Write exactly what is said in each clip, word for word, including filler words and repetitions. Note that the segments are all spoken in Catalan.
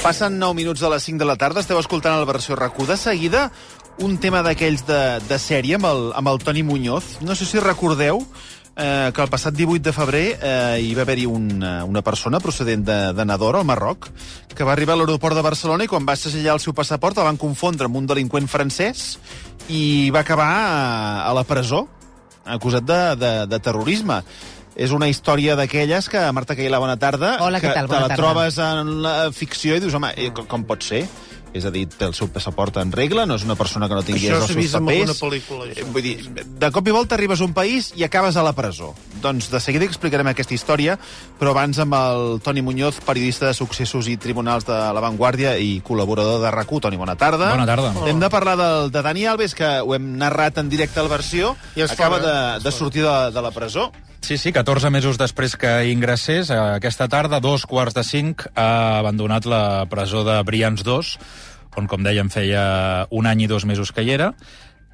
Passen nou minuts de les cinc de la tarda, esteu escoltant la versió RAC1. De seguida, un tema d'aquells de, de sèrie amb el, amb el Toni Muñoz. No sé si recordeu eh, que el passat divuit de febrer eh, hi va haver-hi una, una persona procedent de, de Nador, al Marroc, que va arribar a l'aeroport de Barcelona i quan va segellar el seu passaport el van confondre amb un delinqüent francès i va acabar a, a la presó, acusat de, de, de terrorisme. És una història d'aquelles que, Marta Cailà, bona tarda. Hola, què tal? Bona tarda. Te la trobes en la ficció i dius, home, com, com pot ser? És a dir, té el seu passaport en regla, no és una persona que no tingui els seus papers. Això s'ha vist en alguna pel·lícula. Això. Vull dir, de cop i volta arribes a un país i acabes a la presó. Doncs de seguida explicarem aquesta història, però abans amb el Toni Muñoz, periodista de successos i tribunals de La Vanguardia i col·laborador de RAC1. Toni, bona tarda. Bona tarda. Oh. Hem de parlar del, de Dani Alves, que ho hem narrat en directe a la versió. I acaba fora, de, de sortir de, de la presó. Sí, sí, catorze mesos després que ingressés, aquesta tarda, dos quarts de cinc, ha abandonat la presó de Brians dos, on, com dèiem, feia un any i dos mesos que hi era,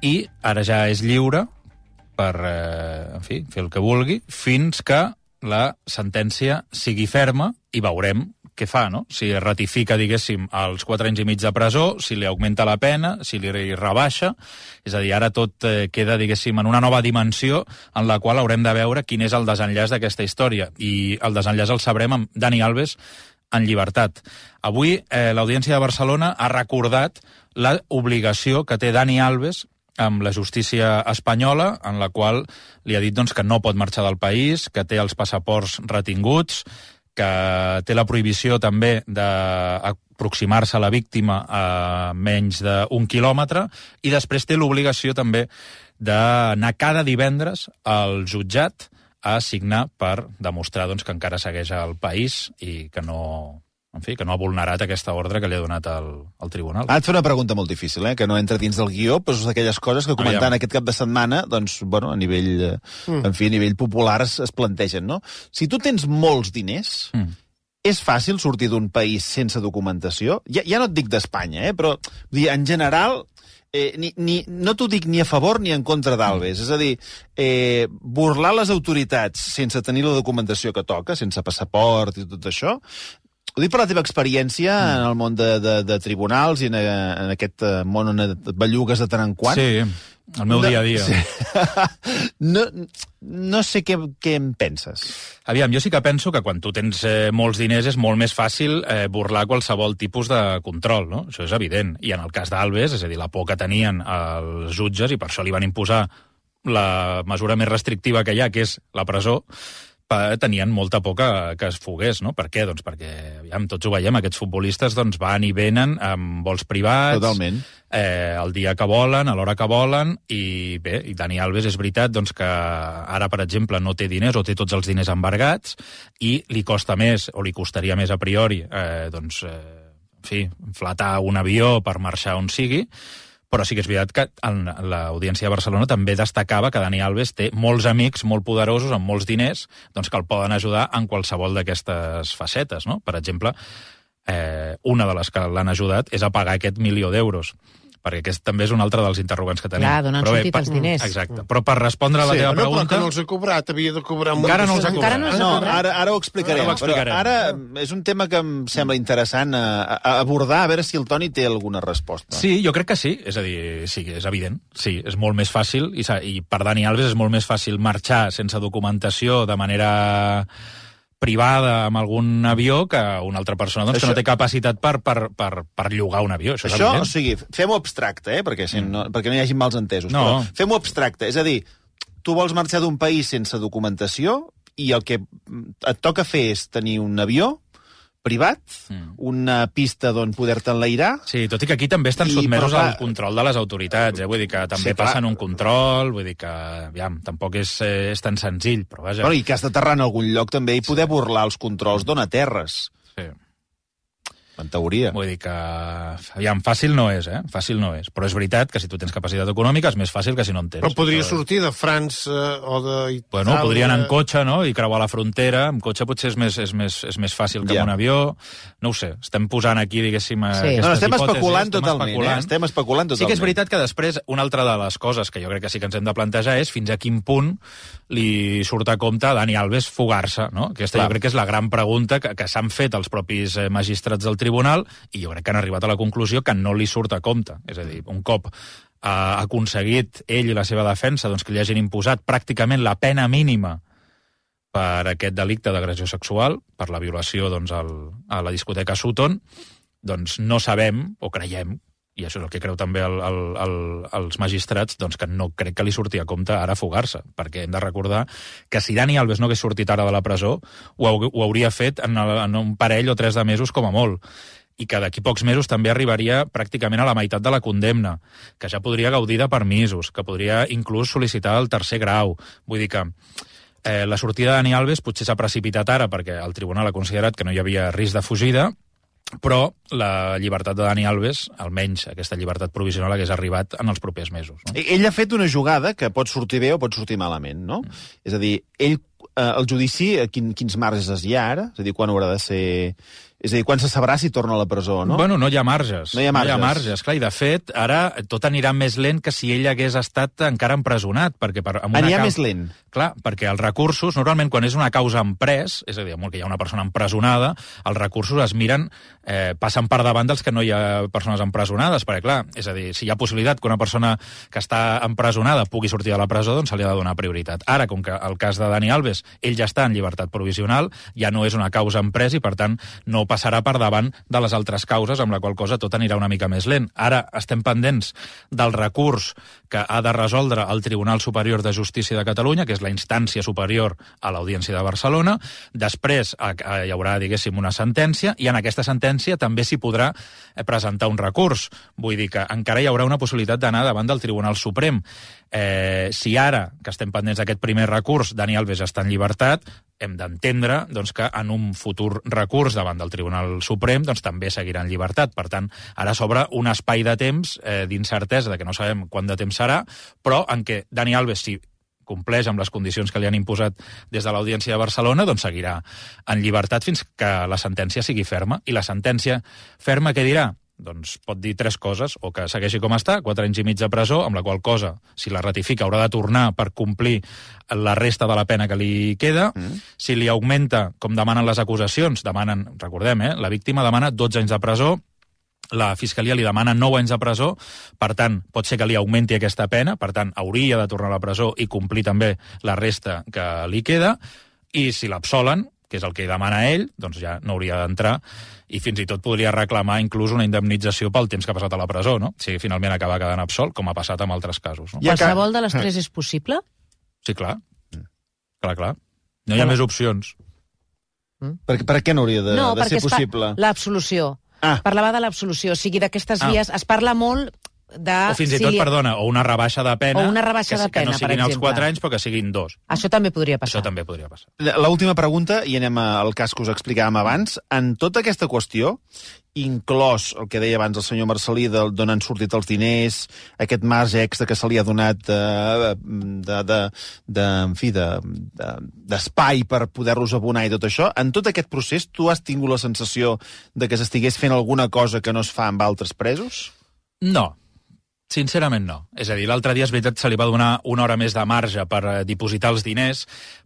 i ara ja és lliure per, eh, en fi, fer el que vulgui, fins que la sentència sigui ferma i veurem què fa, no? Si ratifica, diguéssim, els quatre anys i mig de presó, si li augmenta la pena, si li rebaixa. És a dir, ara tot eh, queda, diguéssim, en una nova dimensió en la qual haurem de veure quin és el desenllaç d'aquesta història. I el desenllaç el sabrem amb Dani Alves en llibertat. Avui eh, l'Audiència de Barcelona ha recordat l'obligació que té Dani Alves amb la justícia espanyola, en la qual li ha dit doncs, que no pot marxar del país, que té els passaports retinguts, que té la prohibició també d'aproximar-se a la víctima a menys d'un quilòmetre, i després té l'obligació també d'anar cada divendres al jutjat a signar per demostrar doncs, que encara segueix al país i que no, en fi, que no ha vulnerat aquesta ordre que li ha donat el, el tribunal. Ah, et fa una pregunta molt difícil, eh? Que no entra dins del guió, però és d'aquelles coses que comentant ah, aquest cap de setmana, doncs, bueno, a nivell, mm. en fi, a nivell popular es, es plantegen, no? Si tu tens molts diners, mm. és fàcil sortir d'un país sense documentació? Ja, ja no et dic d'Espanya, eh? Però, vull dir, en general, eh, ni, ni, no t'ho dic ni a favor ni en contra d'Alves. Mm. És a dir, eh, burlar les autoritats sense tenir la documentació que toca, sense passaport i tot això, ho dic per la teva experiència mm. en el món de, de, de tribunals i en, en aquest món on et bellugues de tant en quant. Sí, el meu no, dia a dia. Sí. no, no sé què, què em penses. Aviam, jo sí que penso que quan tu tens eh, molts diners és molt més fàcil eh, burlar qualsevol tipus de control, no? Això és evident. I en el cas d'Alves, és a dir, la por que tenien els jutges, i per això li van imposar la mesura més restrictiva que hi ha, que és la presó, tenien molta por que, que es fogués, no? Per què? Doncs perquè, aviam, tots ho veiem, aquests futbolistes doncs, van i venen amb vols privats, totalment, eh, el dia que volen, a l'hora que volen, i bé, i Dani Alves és veritat doncs, que ara, per exemple, no té diners o té tots els diners embargats i li costa més, o li costaria més a priori, eh, doncs, eh, en fi, flatar un avió per marxar on sigui. Però sí que és veritat que l'Audiència de Barcelona també destacava que Dani Alves té molts amics molt poderosos, amb molts diners, doncs que el poden ajudar en qualsevol d'aquestes facetes, no? Per exemple, eh, una de les que l'han ajudat és a pagar aquest milió d'euros, perquè aquest també és un altre dels interrogants que tenim. Clar, d'on han però bé, sortit per, els diners. Exacte. Però per respondre a la sí, teva no, pregunta... Però que no els ha cobrat, havia de cobrar... Encara no els ha Encara cobrat. no els ha No, cobrat. ara, ara ho explicarem. Ara ho explicarem. Però ara és un tema que em sembla interessant a, a abordar, a veure si el Toni té alguna resposta. Sí, jo crec que sí. És a dir, sí, és evident. Sí, és molt més fàcil, i, i per Dani Alves és molt més fàcil marxar sense documentació de manera privada amb algun avió que una altra persona doncs, això... que no té capacitat per, per, per, per llogar un avió. Això, això o sigui, fem-ho abstracte, eh? perquè, si no, perquè no hi hagi mals entesos. No. Però fem-ho abstracte, és a dir, tu vols marxar d'un país sense documentació i el que et toca fer és tenir un avió privat, mm. una pista d'on poder-te enlairar... Sí, tot i que aquí també estan sotmesos al control de les autoritats, eh? Vull dir que també sí, passen un control, vull dir que, aviam, tampoc és, eh, és tan senzill, però vaja... Bueno, i que has d'aterrar en algun lloc també i poder sí. burlar els controls d'on aterres. Sí. En teoria. Vull dir que, aviam, fàcil no és, eh? Fàcil no és. Però és veritat que si tu tens capacitat econòmica és més fàcil que si no en tens. Però podria però... sortir de França o de Itàlia... Bueno, podria anar en cotxe, no?, i creuar la frontera. En cotxe potser és més, és més, és més fàcil que yeah. amb un avió. No ho sé. Estem posant aquí, diguéssim, sí. aquestes no, estem hipòtesis. Especulant estem totalment, especulant. Eh? Estem especulant totalment. Sí que és veritat que després, una altra de les coses que jo crec que sí que ens hem de plantejar és fins a quin punt li surt a compte a Dani Alves fugar-se, no? Aquesta Clar. jo crec que és la gran pregunta que, que s'han fet els propis magistrats del tribunal tribunal, i jo crec que han arribat a la conclusió que no li surt a compte. És a dir, un cop ha aconseguit ell i la seva defensa doncs, que li hagin imposat pràcticament la pena mínima per aquest delicte d'agressió sexual, per la violació doncs, al, a la discoteca Sutton, doncs no sabem, o creiem, i això és el que creu també el, el, el, els magistrats, doncs que no crec que li surti a compte ara fugar-se, perquè hem de recordar que si Dani Alves no hagués sortit ara de la presó, ho, ho hauria fet en, el, en un parell o tres de mesos com a molt, i que d'aquí pocs mesos també arribaria pràcticament a la meitat de la condemna, que ja podria gaudir de permisos, que podria inclús sol·licitar el tercer grau. Vull dir que eh, la sortida de Dani Alves potser s'ha precipitat ara perquè el tribunal ha considerat que no hi havia risc de fugida, però la llibertat de Dani Alves, almenys aquesta llibertat provisional, hagués arribat en els propers mesos. No? Ell ha fet una jugada que pot sortir bé o pot sortir malament, no? Mm. És a dir, ell, eh, el judici, quin, quins marges hi ha ara? És a dir, quan haurà de ser... És a dir, quan se sabrà si torna a la presó, no? Bueno, no hi ha marges. No hi ha marges. No hi ha marges, clar, i de fet, ara tot anirà més lent que si ell hagués estat encara empresonat, perquè per... Amb una anirà cau... més lent? Clar, perquè els recursos, normalment quan és una causa emprès, és a dir, que hi ha una persona empresonada, els recursos es miren, eh, passen per davant dels que no hi ha persones empresonades, perquè clar, és a dir, si hi ha possibilitat que una persona que està empresonada pugui sortir de la presó, doncs se li ha de donar prioritat. Ara, com que el cas de Dani Alves, ell ja està en llibertat provisional, ja no és una causa emprès i, per tant, no passarà per davant de les altres causes, amb la qual cosa tot anirà una mica més lent. Ara estem pendents del recurs que ha de resoldre el Tribunal Superior de Justícia de Catalunya, que és la instància superior a l'Audiència de Barcelona. Després hi haurà, diguéssim, una sentència, i en aquesta sentència també s'hi podrà presentar un recurs. Vull dir que encara hi haurà una possibilitat d'anar davant del Tribunal Suprem. Eh, si ara, que estem pendents d'aquest primer recurs, Dani Alves està en llibertat, hem d'entendre doncs, que en un futur recurs davant del Tribunal Suprem doncs, també seguirà en llibertat. Per tant, ara s'obre un espai de temps eh, d'incertesa, de que no sabem quant de temps serà, però en què Dani Alves, si compleix amb les condicions que li han imposat des de l'Audiència de Barcelona, doncs seguirà en llibertat fins que la sentència sigui ferma. I la sentència ferma què dirà? Doncs pot dir tres coses, o que segueixi com està, quatre anys i mig de presó, amb la qual cosa, si la ratifica, haurà de tornar per complir la resta de la pena que li queda. Mm. Si li augmenta, com demanen les acusacions, demanen, recordem, eh, la víctima demana dotze anys de presó, la Fiscalia li demana nou anys de presó, per tant, pot ser que li augmenti aquesta pena, per tant, hauria de tornar a la presó i complir també la resta que li queda, i si l'absolen, que és el que demana ell, doncs ja no hauria d'entrar, i fins i tot podria reclamar inclús una indemnització pel temps que ha passat a la presó, no? Si finalment acaba quedant absolt, com ha passat amb altres casos. No? Qualsevol de les tres és possible? Sí, clar. Clar, clar. No hi ha més opcions. Mm. Per, per què no hauria de, no, de ser possible? No, l'absolució. Ah. Parlava de l'absolució. O sigui, d'aquestes ah. vies es parla molt... De, o fins i tot, si li... perdona, o una rebaixa de pena, o una rebaixa que, de pena, que no siguin els quatre anys, però que siguin dos. Això també podria passar. Això també podria passar. L'última pregunta, i anem al cas que us explicàvem abans. En tota aquesta qüestió, inclòs el que deia abans el senyor Marcelí, d'on han sortit els diners, aquest marge extra que se li ha donat eh, de, de, de, en fi, de, de, d'espai per poder-los abonar i tot això, en tot aquest procés, tu has tingut la sensació de que s'estigués fent alguna cosa que no es fa amb altres presos? No. Sincerament no. És a dir, l'altre dia és veritat se li va donar una hora més de marge per eh, dipositar els diners,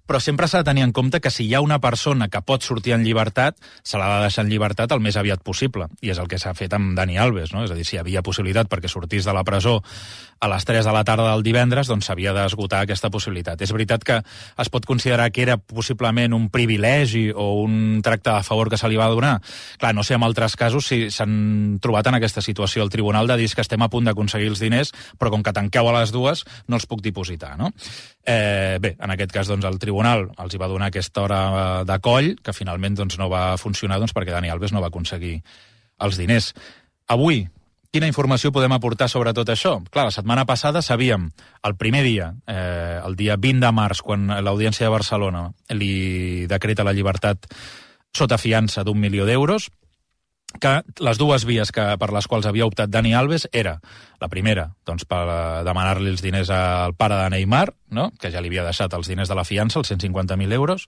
però sempre s'ha de tenir en compte que si hi ha una persona que pot sortir en llibertat, se l'ha de deixar en llibertat el més aviat possible. I és el que s'ha fet amb Dani Alves, no? És a dir, si hi havia possibilitat perquè sortís de la presó a les tres de la tarda del divendres, doncs s'havia d'esgotar aquesta possibilitat. És veritat que es pot considerar que era possiblement un privilegi o un tracte de favor que se li va donar. Clar, no sé en altres casos si s'han trobat en aquesta situació el tribunal de dir que estem a punt d'aconseguir els diners, però com que tanqueu a les dues, no els puc dipositar, no? Eh, bé, en aquest cas, doncs, el tribunal els hi va donar aquesta hora de coll, que finalment doncs, no va funcionar doncs, perquè Dani Alves no va aconseguir els diners. Avui, quina informació podem aportar sobre tot això? Clar, la setmana passada sabíem, el primer dia, eh, el dia vint de març, quan l'Audiència de Barcelona li decreta la llibertat sota fiança d'un milió d'euros, que les dues vies que, per les quals havia optat Dani Alves era, la primera, doncs, per demanar-li els diners al pare de Neymar, no? Que ja li havia deixat els diners de la fiança, els cent cinquanta mil euros,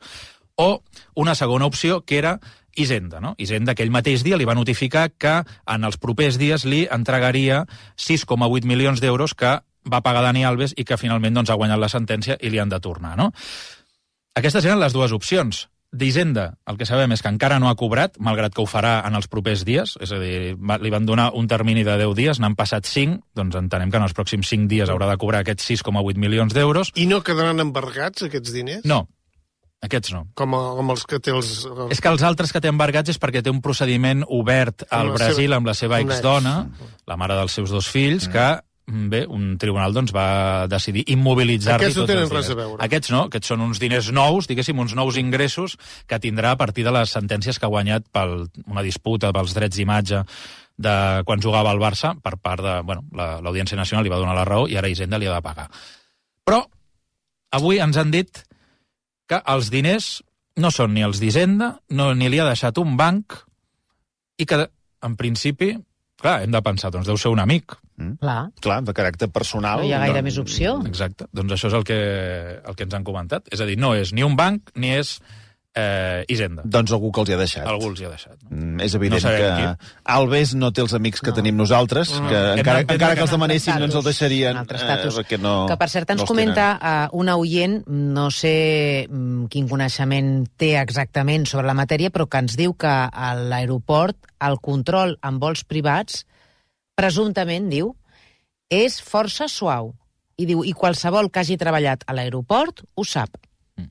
o una segona opció, que era Hisenda, no? Hisenda, aquell mateix dia, li va notificar que en els propers dies li entregaria sis coma vuit milions d'euros que va pagar Dani Alves i que finalment doncs, ha guanyat la sentència i li han de tornar, no? Aquestes eren les dues opcions. d'Hisenda, el que sabem és que encara no ha cobrat, malgrat que ho farà en els propers dies, és a dir, li van donar un termini de deu dies, n'han passat cinc, doncs entenem que en els pròxims cinc dies haurà de cobrar aquests sis coma vuit milions d'euros. I no quedaran embargats, aquests diners? No, aquests no. Com, a, com els que té els... És que els altres que té embargats és perquè té un procediment obert al Brasil seva... amb la seva exdona, la mare dels seus dos fills, mm. que bé, un tribunal doncs, va decidir immobilitzar-li tots els diners. Aquests no tenen res a veure. Aquests no, aquests són uns diners nous, diguéssim, uns nous ingressos que tindrà a partir de les sentències que ha guanyat per una disputa pels drets d'imatge de quan jugava al Barça, per part de... Bueno, l'Audiència Nacional li va donar la raó i ara Hisenda li ha de pagar. Però avui ens han dit que els diners no són ni els d'Hisenda, no, ni li ha deixat un banc i que, en principi, clar, hem de pensar, doncs deu ser un amic. Mm. Clar. Clar, de caràcter personal. No hi ha gaire no... més opció. Exacte. Doncs això és el que, el que ens han comentat. És a dir, no és ni un banc ni és eh, Hisenda. Doncs algú que els hi ha deixat. Algú els hi ha deixat. No? Mm, és evident no que qui. Alves no té els amics que no. tenim nosaltres, no. que Hem encara, de, encara que els demanessin no ens el deixarien. Eh, no, que per cert ens no comenta uh, una oient, no sé um, quin coneixement té exactament sobre la matèria, però que ens diu que a l'aeroport el control en vols privats presumptament, diu, és força suau. I diu, i qualsevol que hagi treballat a l'aeroport ho sap. Mm.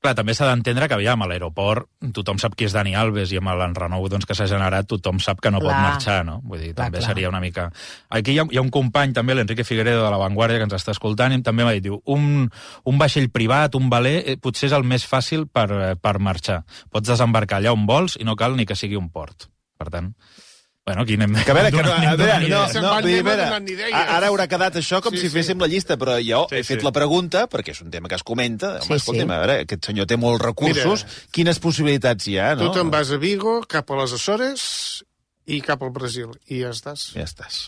Clar, també s'ha d'entendre que, aviam, a l'aeroport tothom sap qui és Dani Alves i amb l'enrenou doncs, que s'ha generat tothom sap que no clar. pot marxar, no? Vull dir, clar, també clar. seria una mica... Aquí hi ha, hi ha un company, també, l'Enrique Figueredo de La Vanguardia, que ens està escoltant, i també m'ha dit, diu, un, un vaixell privat, un veler, eh, potser és el més fàcil per, eh, per marxar. Pots desembarcar allà on vols i no cal ni que sigui un port. Per tant... Bueno, aquí anem... Que a veure, que no, a veure, no, no, no, dir, veure, ara haurà quedat això com sí, si féssim sí. la llista, però jo sí, he fet sí. la pregunta, perquè és un tema que es comenta, home, sí, escolta'm, sí. a veure, aquest senyor té molts recursos, Mira, quines possibilitats hi ha, no? Tu te'n vas a Vigo, cap a les Açores i cap al Brasil, i ja estàs. Ja estàs.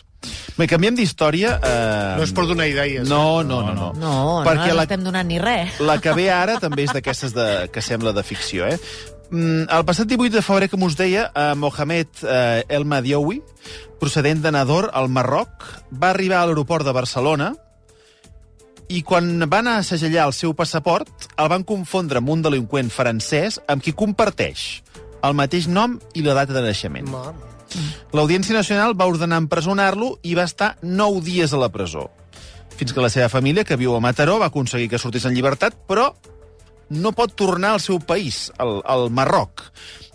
Bé, canviem d'història. Eh... No és per donar idees. No, no, no. No, no, no, no estem donant ni res. La que ve ara també és d'aquestes de, que sembla de ficció, eh? El passat divuit de febrer, com us deia, Mohamed El Madioui, procedent de Nador, al Marroc, va arribar a l'aeroport de Barcelona i quan van a segellar el seu passaport el van confondre amb un delinqüent francès amb qui comparteix el mateix nom i la data de naixement. L'Audiència Nacional va ordenar empresonar-lo i va estar nou dies a la presó. Fins que la seva família, que viu a Mataró, va aconseguir que sortís en llibertat, però no pot tornar al seu país, al, al Marroc.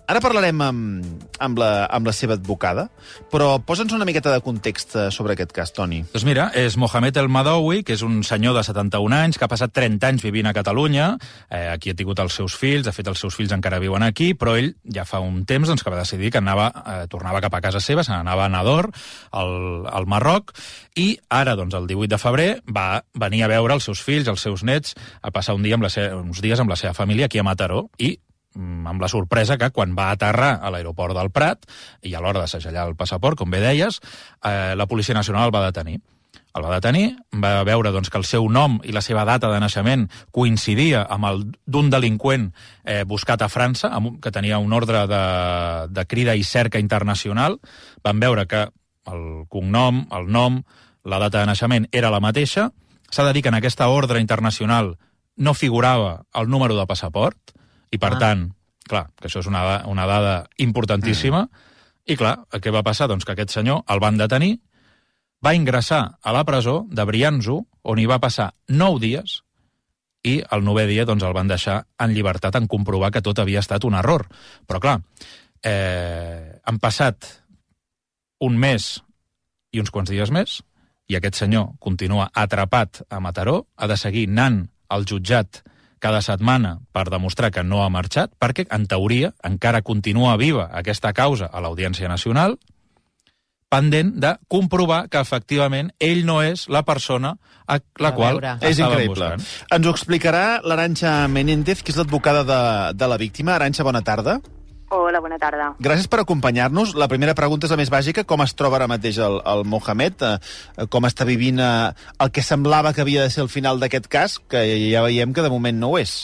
Ara parlarem amb, amb, la, amb la seva advocada, però posa'ns una miqueta de context sobre aquest cas, Toni. Doncs mira, és Mohamed El Madioui, que és un senyor de setanta-un anys, que ha passat trenta anys vivint a Catalunya, eh, aquí ha tingut els seus fills, de fet els seus fills encara viuen aquí, però ell ja fa un temps doncs, que va decidir que anava, eh, tornava cap a casa seva, se n'anava a Nador, al, al Marroc, i ara, doncs, el divuit de febrer, va venir a veure els seus fills, els seus nets, a passar un dia amb la seva, uns dies amb la seva família aquí a Mataró, i amb la sorpresa que quan va aterrar a l'aeroport del Prat, i a l'hora de segellar el passaport, com bé deies, eh, la Policia Nacional el va detenir. El va detenir, va veure doncs, que el seu nom i la seva data de naixement coincidia amb el d'un delinqüent eh, buscat a França, amb, que tenia un ordre de, de crida i cerca internacional. Van veure que el cognom, el nom, la data de naixement era la mateixa. S'ha de dir que en aquesta ordre internacional no figurava el número de passaport, i, per ah. tant, clar, que això és una, una dada importantíssima, mm. i, clar, què va passar? Doncs que aquest senyor el van detenir, va ingressar a la presó de Brianzo, on hi va passar nou dies, i el novè dia doncs, el van deixar en llibertat en comprovar que tot havia estat un error. Però, clar, eh, han passat un mes i uns quants dies més, i aquest senyor continua atrapat a Mataró, ha de seguir anant al jutjat cada setmana per demostrar que no ha marxat, perquè, en teoria, encara continua viva aquesta causa a l'Audiència Nacional, pendent de comprovar que, efectivament, ell no és la persona a la qual és increïble. Buscant. Ens ho explicarà l'Arantxa Menéndez, que és l'advocada de, de la víctima. Arantxa, bona tarda. Hola, bona tarda. Gràcies per acompanyar-nos. La primera pregunta és la més bàsica. Com es troba ara mateix el, el Mohamed? Eh, com està vivint eh, el que semblava que havia de ser el final d'aquest cas, que ja veiem que de moment no ho és?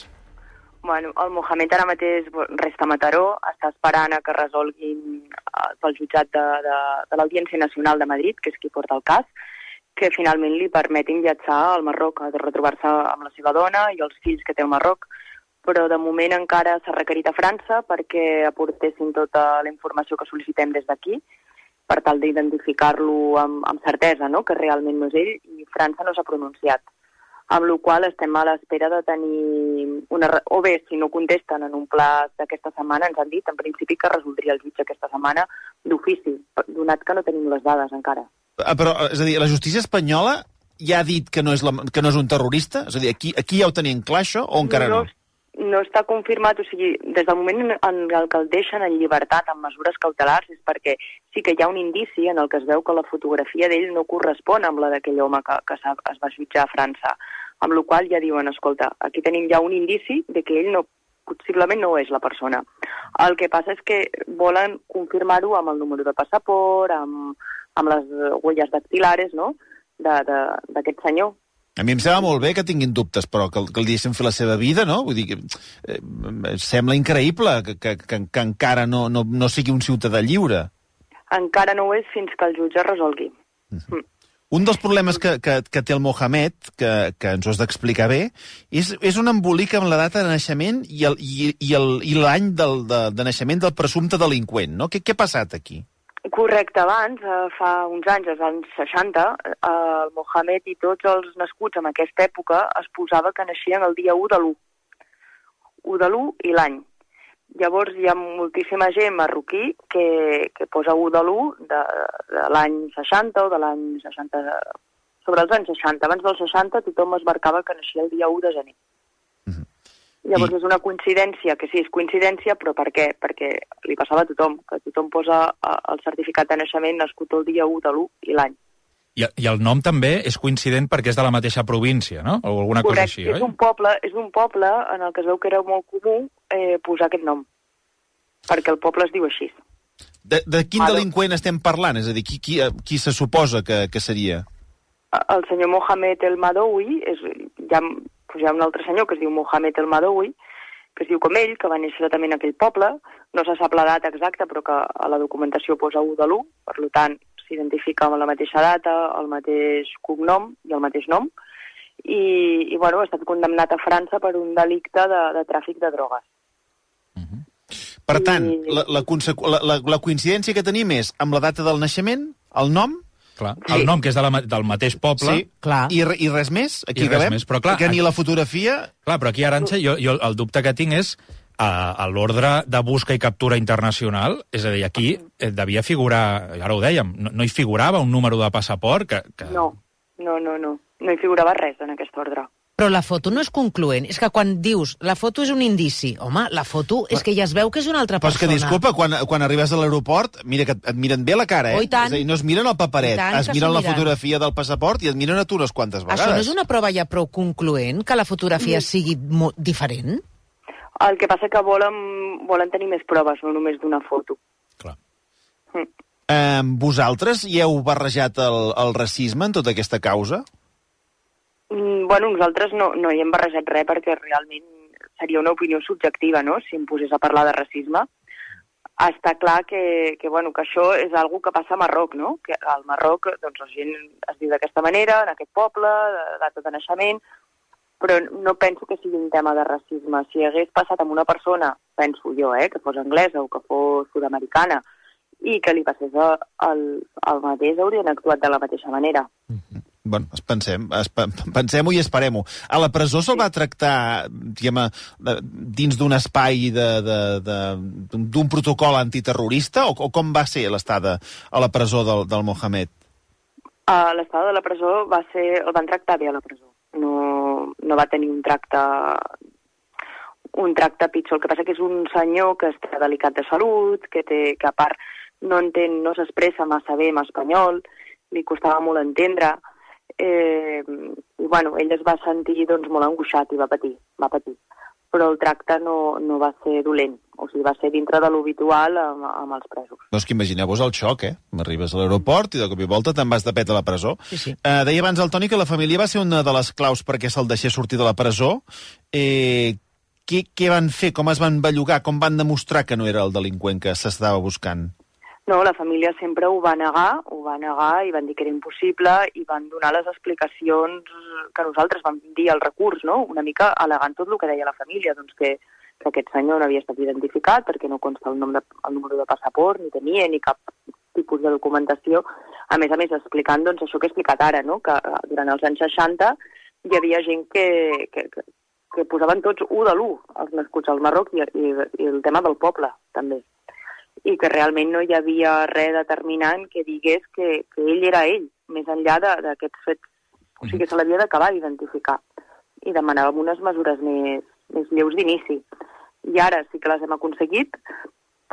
Bueno, el Mohamed ara mateix resta a Mataró, està esperant a que resolguin eh, pel jutjat de, de, de l'Audiència Nacional de Madrid, que és qui porta el cas, que finalment li permetin viatjar al Marroc, a retrobar-se amb la seva dona i els fills que té al Marroc. però de moment encara s'ha requerit a França perquè aportessin tota la informació que sol·licitem des d'aquí, per tal d'identificar-lo amb, amb certesa, no?, que realment no és ell, i França no s'ha pronunciat. Amb la qual estem a l'espera de tenir una... O bé, si no contesten en un pla d'aquesta setmana, ens han dit, en principi, que resoldria el jutge aquesta setmana d'ofici, donat que no tenim les dades encara. Ah, però, és a dir, la justícia espanyola ja ha dit que no és, la, que no és un terrorista? És a dir, aquí, aquí ja ho tenien clar, això, o encara no? No, no està confirmat, o sigui, des del moment en el que el deixen en llibertat amb mesures cautelars és perquè sí que hi ha un indici en el que es veu que la fotografia d'ell no correspon amb la d'aquell home que, que es va jutjar a França, amb la qual ja diuen, escolta, aquí tenim ja un indici de que ell no, possiblement no és la persona. El que passa és que volen confirmar-ho amb el número de passaport, amb, amb les huelles dactilares, no?, d'aquest senyor. A mi em sembla molt bé que tinguin dubtes, però que, que el deixen fer la seva vida, no? Vull dir que eh, sembla increïble que, que, que, que encara no, no, no sigui un ciutadà lliure. Encara no ho és fins que el jutge resolgui. Uh-huh. Mm. Un dels problemes que, que, que té el Mohamed, que, que ens ho has d'explicar bé, és, és un embolic amb la data de naixement i el, i, i el, i l'any del, de, de naixement del presumpte delinqüent, no? Què, què ha passat aquí? Correcte, abans, eh, fa uns anys, als anys seixanta, eh, el Mohamed i tots els nascuts en aquesta època es posava que naixien el dia u de l'u. u de l'u i l'any. Llavors hi ha moltíssima gent marroquí que, que posa u de l'u de, de l'any seixanta o de l'any seixanta... Sobre els anys seixanta. Abans dels seixanta tothom es marcava que naixia el dia u de gener. Mm-hmm. Llavors I... és una coincidència, que sí, és coincidència, però per què? Perquè li passava a tothom, que tothom posa el certificat de naixement nascut el dia u de l'u i l'any. I, I el nom també és coincident perquè és de la mateixa província, no? O alguna Correcte, cosa així, oi? és un poble, és un poble en el que es veu que era molt comú eh, posar aquest nom, perquè el poble es diu així. De, de quin Vale. delinqüent estem parlant? És a dir, qui, qui, qui se suposa que, que seria? El senyor Mohamed El Madoui, és, hi, ha, doncs hi ha un altre senyor que es diu Mohamed El Madoui, que es diu com ell, que va néixer també en aquell poble, no se sap la data exacta, però que a la documentació posa u de l'u, per tant, s'identifica amb la mateixa data, el mateix cognom i el mateix nom, i, i bueno, ha estat condemnat a França per un delicte de, de tràfic de drogues. Uh-huh. Per tant, I... la, la, la, la, la coincidència que tenim és amb la data del naixement, el nom... Clar, el sí. nom que és de la, del mateix poble... Sí, clar. I, I res més? Aquí I res acabem? més, però clar... Que ni la fotografia... Clar, però aquí, Arantxa, jo, jo el dubte que tinc és a, a l'ordre de busca i captura internacional, és a dir, aquí eh, devia figurar, ara ho dèiem, no, no hi figurava un número de passaport que... que... No, no, no, no, no hi figurava res en aquest ordre. Però la foto no és concloent. És que quan dius la foto és un indici, home, la foto és que ja es veu que és una altra persona. Però és que, disculpa, quan, quan arribes a l'aeroport, mira que et miren bé la cara, eh? Oh, i tant. És a dir, no es miren el paperet, es miren la miren. fotografia del passaport i et miren a tu unes quantes vegades. Això no és una prova ja prou concloent, que la fotografia mm. sigui diferent? El que passa que volen, volen tenir més proves, no només d'una foto. Clar. Mm. Eh, vosaltres hi heu barrejat el, el racisme en tota aquesta causa? Mm, bueno, nosaltres no, no hi hem barrejat res perquè realment seria una opinió subjectiva, no?, si em posés a parlar de racisme. Està clar que, que, bueno, que això és algo que passa a Marroc, no?, que al Marroc doncs, la gent es diu d'aquesta manera, en aquest poble, de data de naixement, però no penso que sigui un tema de racisme. Si hagués passat amb una persona, penso jo, eh, que fos anglesa o que fos sud-americana, i que li passés el, el mateix, haurien actuat de la mateixa manera. Mm-hmm. Bueno, pensem, pensem-ho i esperem-ho. A la presó se'l va tractar, diguem, dins d'un espai d'un protocol antiterrorista, o, o com va ser l'estada a la presó del, del Mohamed? Uh, l'estada de la presó va ser... El van tractar bé a la presó. No, no va tenir un tracte un tracte pitjor. El que passa que és un senyor que està delicat de salut, que, té, que a part no entén, no s'expressa massa bé en espanyol, li costava molt entendre. Eh, i bueno, ell es va sentir doncs, molt angoixat i va patir, va patir. Però el tracte no, no va ser dolent, o sigui, va ser dintre de l'habitual amb, amb els presos. No, és que imagineu-vos el xoc, eh? M'arribes a l'aeroport i de cop i volta te'n vas de pet a la presó. Sí, sí. Eh, deia abans el Toni que la família va ser una de les claus perquè se'l deixés sortir de la presó. Eh, què, què van fer? Com es van bellugar? Com van demostrar que no era el delinqüent que s'estava buscant? No, la família sempre ho va negar, ho va negar i van dir que era impossible i van donar les explicacions que nosaltres vam dir al recurs, no? Una mica al·legant tot el que deia la família, doncs que, que aquest senyor no havia estat identificat perquè no consta el, nom de, el número de passaport, ni tenia ni cap tipus de documentació. A més a més, explicant doncs, això que he explicat ara, no? Que durant els anys seixanta hi havia gent que, que, que, que posaven tots u de l'u, els nascuts al Marroc i, i, i el tema del poble, també. I que realment no hi havia res determinant que digués que, que ell era ell, més enllà d'aquests fets. O sigui que se l'havia d'acabar d'identificar. I demanàvem unes mesures més, més lleus d'inici. I ara sí que les hem aconseguit,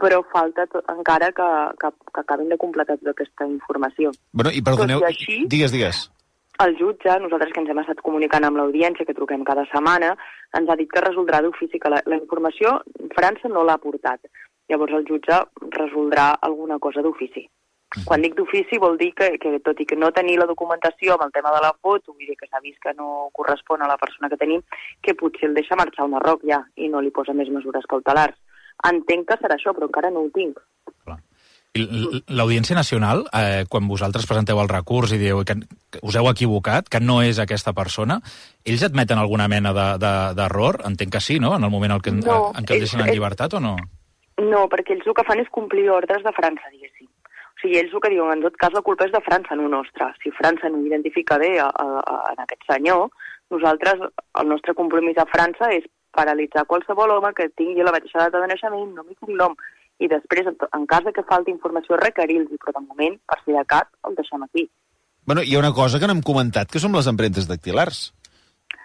però falta tot, encara que, que, que acabin de completar tota aquesta informació. Bueno, i perdoneu, Tot i així, digues, digues. El jutge, nosaltres que ens hem estat comunicant amb l'audiència, que truquem cada setmana, ens ha dit que resoldrà d'ofici, que la, la informació França no l'ha portat. Llavors el jutge resoldrà alguna cosa d'ofici. Quan dic d'ofici vol dir que, que tot i que no tenir la documentació amb el tema de la foto, vull dir que s'ha vist que no correspon a la persona que tenim, que potser el deixa marxar al Marroc ja i no li posa més mesures cautelars. Entenc que serà això, però encara no ho tinc. Clar. L'Audiència Nacional, eh, quan vosaltres presenteu el recurs i dieu que us heu equivocat, que no és aquesta persona, ells admeten alguna mena d'error? De, de, Entenc que sí, no?, en el moment en què, no, en què el deixen en llibertat, o no? No, perquè ells el que fan és complir ordres de França, diguéssim. O sigui, ells el que diuen, en tot cas, la culpa és de França, no nostra. Si França no identifica bé a, a, a, a aquest senyor, nosaltres, el nostre compromís a França és paralitzar qualsevol home que tingui la mateixa data de naixement, nom i cognom, i després, en cas de que falti informació, requerir-los, però de moment, per si de cap, el deixem aquí. Bueno, hi ha una cosa que no hem comentat, que són les empremtes dactilars.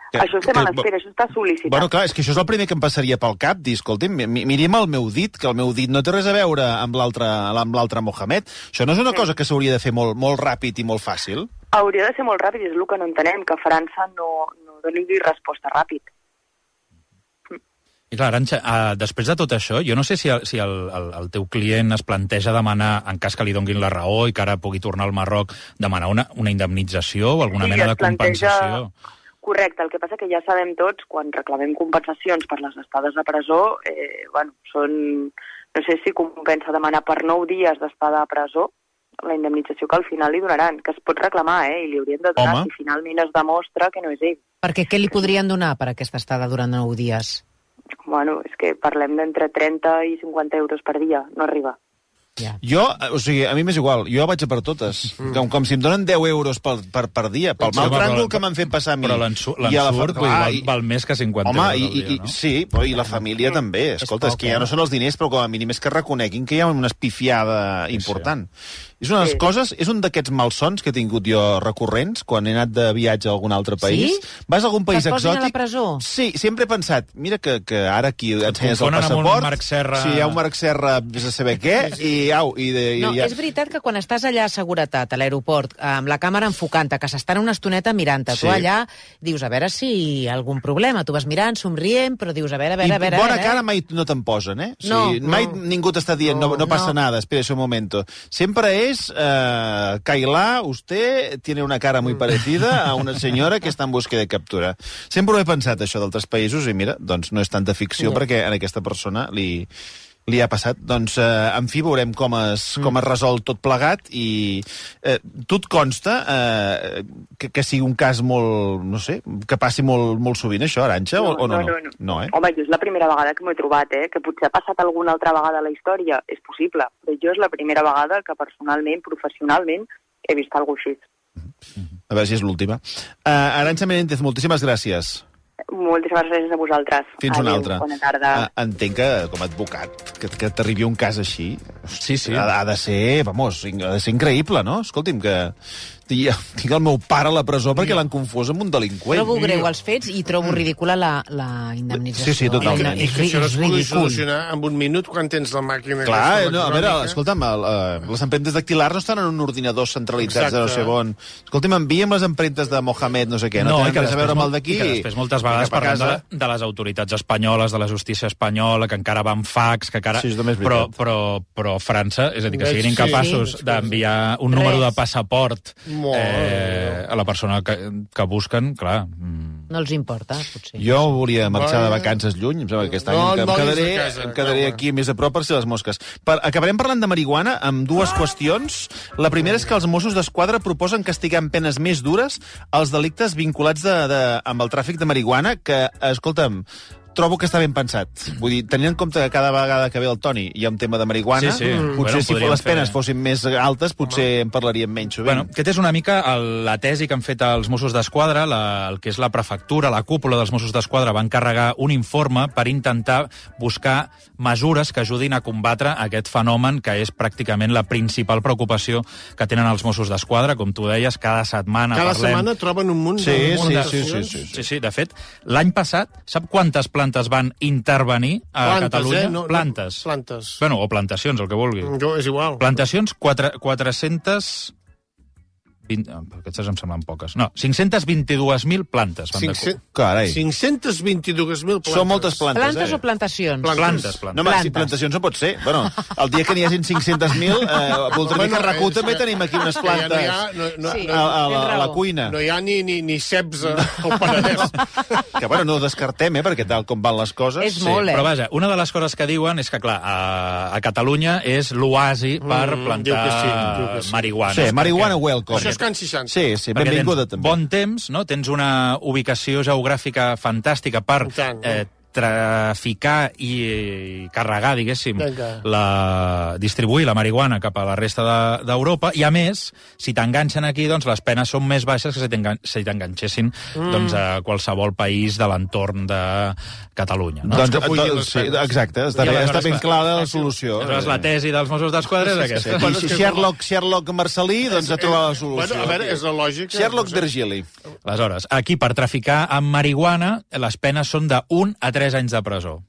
Que, això estem que, a l'espera, això està sol·licitat. Bueno, clar, és que això és el primer que em passaria pel cap, dir, escolti'm, mirim el meu dit, que el meu dit no té res a veure amb l'altre Mohamed. Això no és una sí. cosa que s'hauria de fer molt, molt ràpid i molt fàcil? Hauria de ser molt ràpid, és el que no entenem, que França no, no doni resposta ràpid. I clar, Arantxa, uh, després de tot això, jo no sé si, el, si el, el, el teu client es planteja demanar, en cas que li donguin la raó i que ara pugui tornar al Marroc, demanar una, una indemnització o alguna sí, mena de planteja... compensació. Correcte, el que passa que ja sabem tots, quan reclamem compensacions per les estades a presó, eh, bueno, són, no sé si compensa demanar per nou dies d'estada a presó, la indemnització que al final li donaran, que es pot reclamar, eh, i li haurien de donar Home. si finalment es demostra que no és ell. Perquè què li podrien donar per aquesta estada durant nou dies? Bueno, és que parlem d'entre trenta i cinquanta euros per dia, no arriba. Yeah. Jo, o sigui, a mi m'és igual, jo vaig a per totes. Mm. Com, com si em donen deu euros per, per, per dia, pel mal tràngol que m'han fet passar a mi. Però l'ensurt val, val més que cinquanta home, euros i, al dia, i, no? Sí, però i la família mm. també. Escolta, és, és que ja no són els diners, però com a mínim és que reconeguin que hi ha una espifiada important. Sí. És una de les sí. coses, és un d'aquests malsons que he tingut jo recurrents quan he anat de viatge a algun altre país. Sí? Vas a algun país exòtic? Que et posin a la presó? Sí, sempre he pensat, mira que, que ara aquí ensenyes el passaport. Un Marc Serra... Sí, hi ha un Marc Serra, vés a saber què, sí, sí. i au, i de... No, i ja... és veritat que quan estàs allà a seguretat, a l'aeroport, amb la càmera enfocant-te, que s'estan una estoneta mirant-te, sí. tu allà dius, a veure si hi ha algun problema. Tu vas mirant, somrient, però dius, a veure, a veure, a veure... I bona a veure, cara mai no te'n posen, eh? O sigui, no, mai no. ningú t'està dient, no, no passa no. nada, espera un momento. Sempre és... Eh, Kailá, usted tiene una cara muy parecida a una senyora que està en busca de captura. Sempre ho he pensat, això d'altres països, i mira, doncs no és tanta ficció, yeah. perquè a aquesta persona li, li ha passat. Doncs, eh, en fi, veurem com es, mm. com es resol tot plegat, i eh, tu et consta eh, que, que sigui un cas molt, no sé, que passi molt, molt sovint això, Arantxa, no, o, o no? No, no, no. no eh? Home, jo és la primera vegada que m'ho he trobat, eh? Que potser ha passat alguna altra vegada a la història, és possible, però jo és la primera vegada que personalment, professionalment, he vist alguna cosa així. Mm-hmm. A veure si és l'última. Uh, Arantxa Menéndez, moltíssimes gràcies. Moltíssimes gràcies a vosaltres. Fins una Adéu, altra. Bona tarda. Uh, entenc que, com a advocat, que, que t'arribi un cas així, sí, sí. Ha, ha de ser, vamos, ha de ser increïble, no? Escolti'm, que tinc el meu pare a la presó perquè l'han confós amb un delinqüent. Trobo greu els fets i trobo ridícula la, la indemnització. Sí, sí, totalment. I que això no es pugui solucionar en un minut quan tens la màquina... Clar, no, a veure, escolta'm, el, uh, les empremtes dactilars no estan en un ordinador centralitzat de no sé on. Escolta'm, envia'm les empremtes de Mohamed, no sé què, no, no tenen res a veure amb el d'aquí. I que després moltes vegades parlem de, de les autoritats espanyoles, de la justícia espanyola, que encara van fax, que encara... Sí, però, però, però França, és a dir, que siguin incapaços sí. d'enviar un número de passaport eh, a la persona que, que busquen, clar... Mm. No els importa, potser. Jo volia marxar de vacances lluny, em sembla que aquest any No, em, em no quedaré, vagis a casa, em quedaré no, aquí més a prop per si les mosques. Per, acabarem parlant de marihuana amb dues qüestions. La primera és que els Mossos d'Esquadra proposen castigar amb penes més dures els delictes vinculats de, de, amb el tràfic de marihuana, que, escolta'm, trobo que està ben pensat. Vull dir, tenint en compte que cada vegada que ve el Toni hi ha un tema de marihuana, sí, sí. potser Bueno, si podríem les penes fer... fossin més altes, potser en parlaríem menys sovint. Bueno, aquest és una mica el, la tesi que han fet els Mossos d'Esquadra, la, el que és la prefectura, la cúpula dels Mossos d'Esquadra, va encarregar un informe per intentar buscar mesures que ajudin a combatre aquest fenomen que és pràcticament la principal preocupació que tenen els Mossos d'Esquadra. Com tu deies, cada setmana Cada parlem... setmana troben un munt Sí, de... sí, de- sí, sí, sí, Sí, sí, de fet, l'any passat, sap quantes plantes van intervenir a Plantes, Catalunya? eh? No, no, plantes. plantes. Bueno, o plantacions, el que vulgui. Jo, és igual. Plantacions, quatre, quatre-centes... vint, aquestes em semblen poques. No, cinc-centes vint-i-dues mil plantes. Van de... cinc-cents Carai. cinc-centes vint-i-dos mil plantes. Són moltes plantes, Plantes eh? o plantacions? Plantes. Plantes, plantes. No, home, si Plantes. plantacions no pot ser. Bueno, el dia que n'hi hagin cinc-centes mil, eh, voldria dir que a RAC u és també que- tenim aquí unes que ja plantes no hi ha, no, no, Sí. a, a, la, tens a la raó. cuina. no hi ha ni, ni, ni ceps al Penedès. Que, bueno, no ho descartem, eh, perquè tal com van les coses... És molt, eh? Però vaja, una de les coses que diuen és que, clar, a, a Catalunya és l'oasi per Mm, plantar diu que sí, diu que sí. marihuana. Sí, marihuana welcome. Això és Can seixanta. Sí, sí, Perquè benvinguda tens també. bon temps, no? Tens una ubicació geogràfica fantàstica per I tant, eh, traficar i, i carregar, diguéssim, Vinga. la, distribuir la marihuana cap a la resta de- d'Europa, i a més, si t'enganxen aquí, doncs les penes són més baixes que si t'engan- si t'enganxessin Mm. doncs, a qualsevol país de l'entorn de Catalunya. No? Doncs, que pugin doncs, les sí, penes. exacte, està, I bé, aleshores, està ben clar, clara la solució. Aleshores, la tesi dels Mossos d'Esquadra és Sí, aquesta. Bueno, és aquí que- Sherlock, Sherlock Marcelí doncs, ha trobat la solució. Bueno, a veure, és la lògica. Sherlock Virgili. Aleshores, aquí per traficar amb marihuana les penes són de un a tres anys de presó,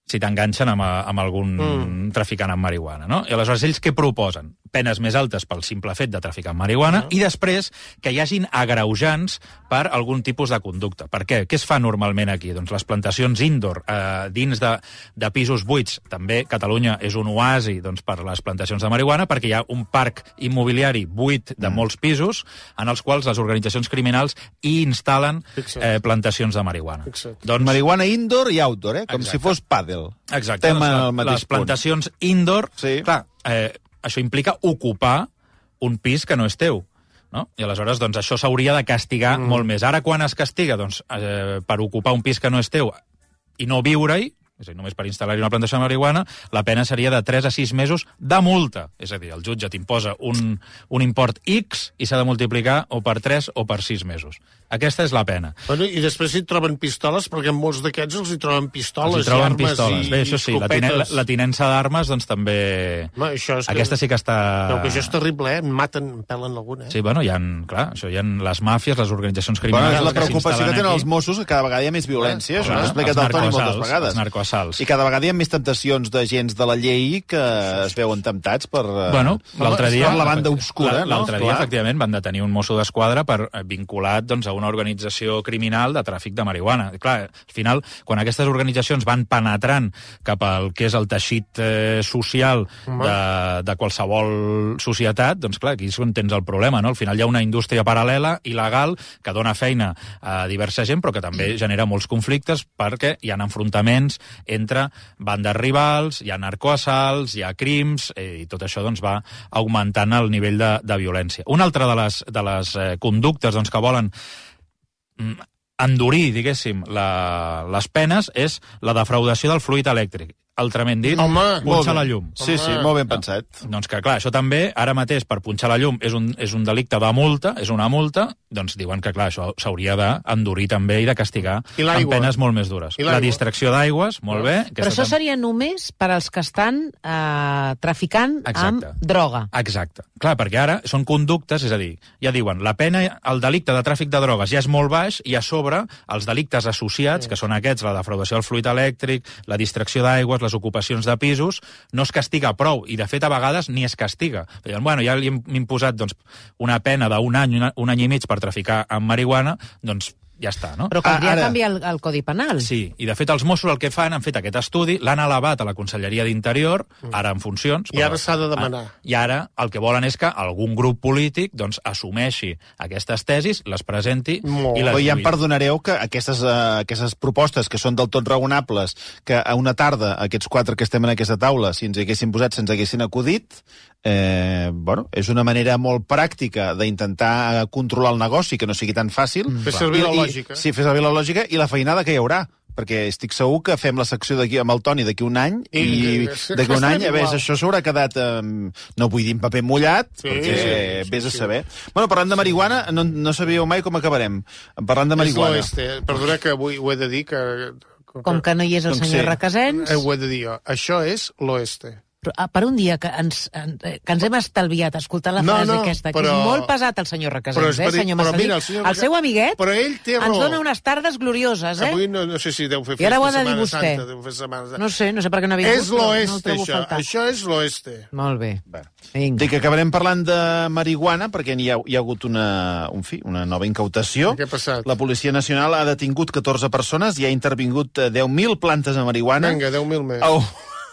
si t'enganxen amb, amb algun mm. traficant amb marihuana, no? I aleshores ells què proposen? Penes més altes pel simple fet de traficar amb marihuana mm. i després que hi hagin agreujants per algun tipus de conducta. Per què? Què es fa normalment aquí? Doncs les plantacions indoor eh, dins de, de pisos buits. També Catalunya és un oasi doncs, per les plantacions de marihuana perquè hi ha un parc immobiliari buit de mm. molts pisos en els quals les organitzacions criminals hi instal·len eh, plantacions de marihuana. Fixa't. Doncs marihuana indoor i outdoor, eh? Com Exacte. si fos pàdel. Exacte, Estem doncs, al la, mateix les plantacions punt. indoor, Sí. clar, eh, això implica ocupar un pis que no és teu. No? I aleshores doncs, això s'hauria de castigar mm. molt més. Ara quan es castiga doncs, eh, per ocupar un pis que no és teu i no viure-hi, és a dir, només per instal·lar-hi una plantació de marihuana, la pena seria de tres a sis mesos de multa. És a dir, el jutge t'imposa un, un import X i s'ha de multiplicar o per tres o per sis mesos. Aquesta és la pena. Bueno, i després hi troben pistoles, perquè en molts d'aquests els hi troben pistoles Els hi troben i armes pistoles. i Bé, això sí, la, tine, la, la tinença d'armes, doncs també... Home, això és que... Aquesta sí que està... No, que això és terrible, eh? En maten, en pelen alguna, eh? Sí, bueno, hi ha, clar, això hi ha les màfies, les organitzacions Bueno, criminals... és la que preocupació que s'instal·len tenen aquí. els Mossos, que cada vegada hi ha més violència. Això Clar, ho ha explicat els el Toni moltes narcoassalts, vegades. els narcoassalts. I cada vegada hi ha més temptacions d'agents de la llei que es veuen temptats per, eh, Bueno, l'altre dia... per la banda obscura, no? L'altre dia, Esclar. efectivament, van detenir un mosso d'esquadra per eh, vinculat doncs, a una organització criminal de tràfic de marihuana. Clar, al final, quan aquestes organitzacions van penetrant cap al que és el teixit eh, social de, de qualsevol societat, doncs clar, aquí és on tens el problema, no? Al final hi ha una indústria paral·lela, il·legal, que dona feina a diversa gent, però que també genera molts conflictes perquè hi ha enfrontaments entre bandes rivals, hi ha narcoassalts, hi ha crims, eh, i tot això doncs, va augmentant el nivell de, de violència. Una altra de les, de les eh, conductes doncs, que volen mm, endurir, diguéssim, la, les penes és la defraudació del fluid elèctric. Altrament dit, Home, punxar la llum. Sí, sí, molt ben pensat. Doncs que, clar, això també, ara mateix, per punxar la llum, és un, és un delicte de multa, és una multa, doncs diuen que, clar, això s'hauria d'endurir també i de castigar I amb l'aigua? penes molt més dures. I l'aigua? La distracció d'aigües, molt bé. Però això tam- seria només per als que estan eh, traficant Exacte. amb droga. Exacte. Clar, perquè ara són conductes, és a dir, ja diuen, la pena, el delicte de tràfic de drogues ja és molt baix i a sobre els delictes associats, que són aquests, la defraudació del fluid elèctric, la distracció d'aigües, les ocupacions de pisos, no es castiga prou, i de fet a vegades ni es castiga. Diuen, bueno, ja li hem imposat doncs, una pena d'un any, una, un any i mig per traficar amb marihuana, doncs ja està, no? Però caldria Ara... canviar el, el Codi Penal. Sí, i de fet els Mossos el que fan, han fet aquest estudi, l'han elevat a la Conselleria d'Interior, ara en funcions... I ara s'ha de demanar. I ara el que volen és que algun grup polític doncs, assumeixi aquestes tesis, les presenti Molt. i les Però ja em lluï. perdonareu que aquestes, uh, aquestes propostes que són del tot raonables, que a una tarda aquests quatre que estem en aquesta taula, si ens hi haguessin posat, se'ns haguessin acudit, eh, bueno, és una manera molt pràctica d'intentar controlar el negoci, que no sigui tan fàcil. Fer servir I- la i- lògica. Sí, fer servir la lògica i la feinada que hi haurà, perquè estic segur que fem la secció d'aquí amb el Toni d'aquí un any i, I- i d'aquí un any, a veure, això s'haurà quedat, eh, no vull dir en paper mullat, Sí, perquè sí, sí, vés a sí. saber. Bueno, parlant de marihuana, no, no sabíeu mai com acabarem. Parlant de És marihuana. l'oeste. Perdona que avui ho he de dir, que... Com que no hi és el Doncs senyor sí. Requesens, Eh, ho he de dir jo. Això és l'oeste. però, ah, per un dia que ens, en- que ens hem estalviat escoltant la No, frase no, aquesta, que però- és molt pesat el senyor Però Requesens, és eh, per- senyor però Massalí. mira, el El, senyor Reque- seu amiguet Però ell té ens raó. dona unes tardes glorioses, eh? Avui no, no sé si deu fer I ara ho ha festa de dir Setmana vostè. Santa, deu fer Setmana Santa. No sé, no sé per què no ha vingut, És però no el l'oeste, trobo això. faltar. Això és l'oeste. Molt bé. Bueno. Vinga. Dic que acabarem parlant de marihuana perquè hi ha, hi ha hagut una, un fi, una nova incautació. Què ha passat? La Policia Nacional ha detingut catorze persones i ha intervingut eh, deu mil plantes de marihuana Vinga, deu mil més. a, un-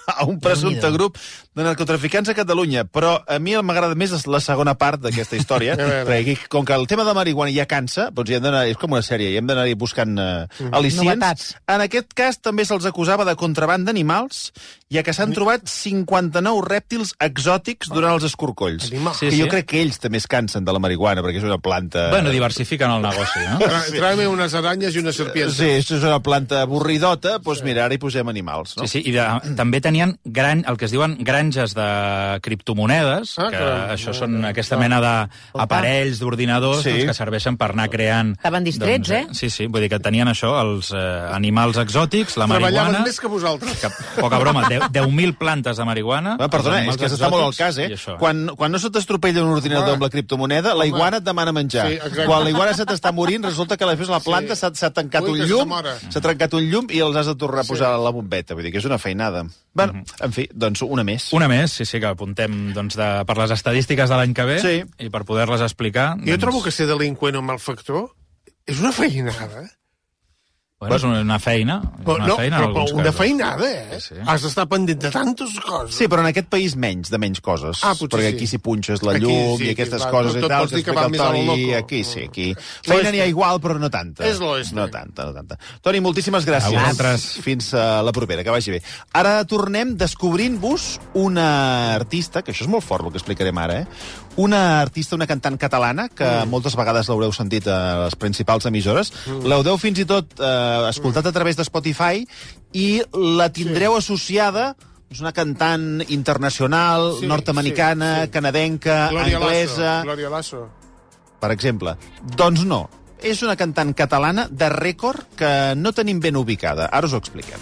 a un presumpte Déu-n'hi-do. grup de narcotraficants a Catalunya. Però a mi m'agrada més la segona part d'aquesta història, A veure. perquè aquí, com que el tema de marihuana ja cansa, doncs hi hem d'anar, és com una sèrie, hi hem d'anar buscant uh, al·licients. Novetats. En aquest cas també se'ls acusava de contraban d'animals, ja que s'han trobat cinquanta-nou rèptils exòtics durant els escorcolls. Animal. Sí, Sí, que jo sí. crec que ells també es cansen de la marihuana, perquè és una planta... Bueno, diversifiquen el negoci, no? Tra Tráeme unes aranyes i unes serpientes. Sí, és una planta avorridota, doncs mira, ara hi posem animals, no? Sí, sí, i de, també tenien gran, el que es diuen granges de criptomonedes, Ah, que caram. això són aquesta mena d'aparells, d'ordinadors, Sí. doncs, que serveixen per anar creant... Estaven distrets, eh? Sí, sí, vull dir que tenien això, els eh, animals exòtics, la Treballaven marihuana... més que vosaltres. Que, poca broma, deu mil plantes de marihuana... Ah, perdona, els és que animals s'està molt al exòtics cas, eh? i això. Quan, quan no se t'estropella un ordinador Home. amb la criptomoneda, la iguana et demana menjar. Sí, exacte. Quan la iguana se t'està morint, resulta que després la planta Sí. s'ha s'ha tancat Ui, un que llum, s'amora. s'ha trencat un llum i els has de tornar a posar a la bombeta. Vull dir que és una feinada. Bueno, en fi, doncs una més. Una més, sí, sí, que apuntem doncs, de, per les estadístiques de l'any que ve Sí. i per poder-les explicar. Jo trobo que ser delinqüent o malfactor és una feinada. Bueno, és una feina. És Però, una no, feina en però, alguns però una casos. feinada, eh? Sí, sí. Has d'estar pendent de tantes coses. Sí, però en aquest país menys, de menys coses. Ah, potser perquè sí. aquí si punxes la Aquí llum sí, i aquí aquestes va, coses tot- i tot tal, pots que dir que explica va el més a lo Toni, loco. aquí sí, aquí. L'oeste. Feina n'hi ha igual, però no tanta. És l'oeste. No tanta, no tanta. Toni, moltíssimes gràcies. A vosaltres. Fins a la propera, que vagi bé. Ara tornem descobrint-vos una artista, que això és molt fort el que explicarem ara, eh? Una artista, una cantant catalana, que mm. moltes vegades l'haureu sentit a les principals emissores. Mm. L'haureu fins i tot eh, escoltat a través de Spotify i la tindreu sí. associada. És una cantant internacional, Sí, nord-americana, sí, sí. canadienca, Gloria anglesa... Lasso. Gloria Lasso. Per exemple. Doncs no. És una cantant catalana de rècord que no tenim ben ubicada. Ara us ho expliquem.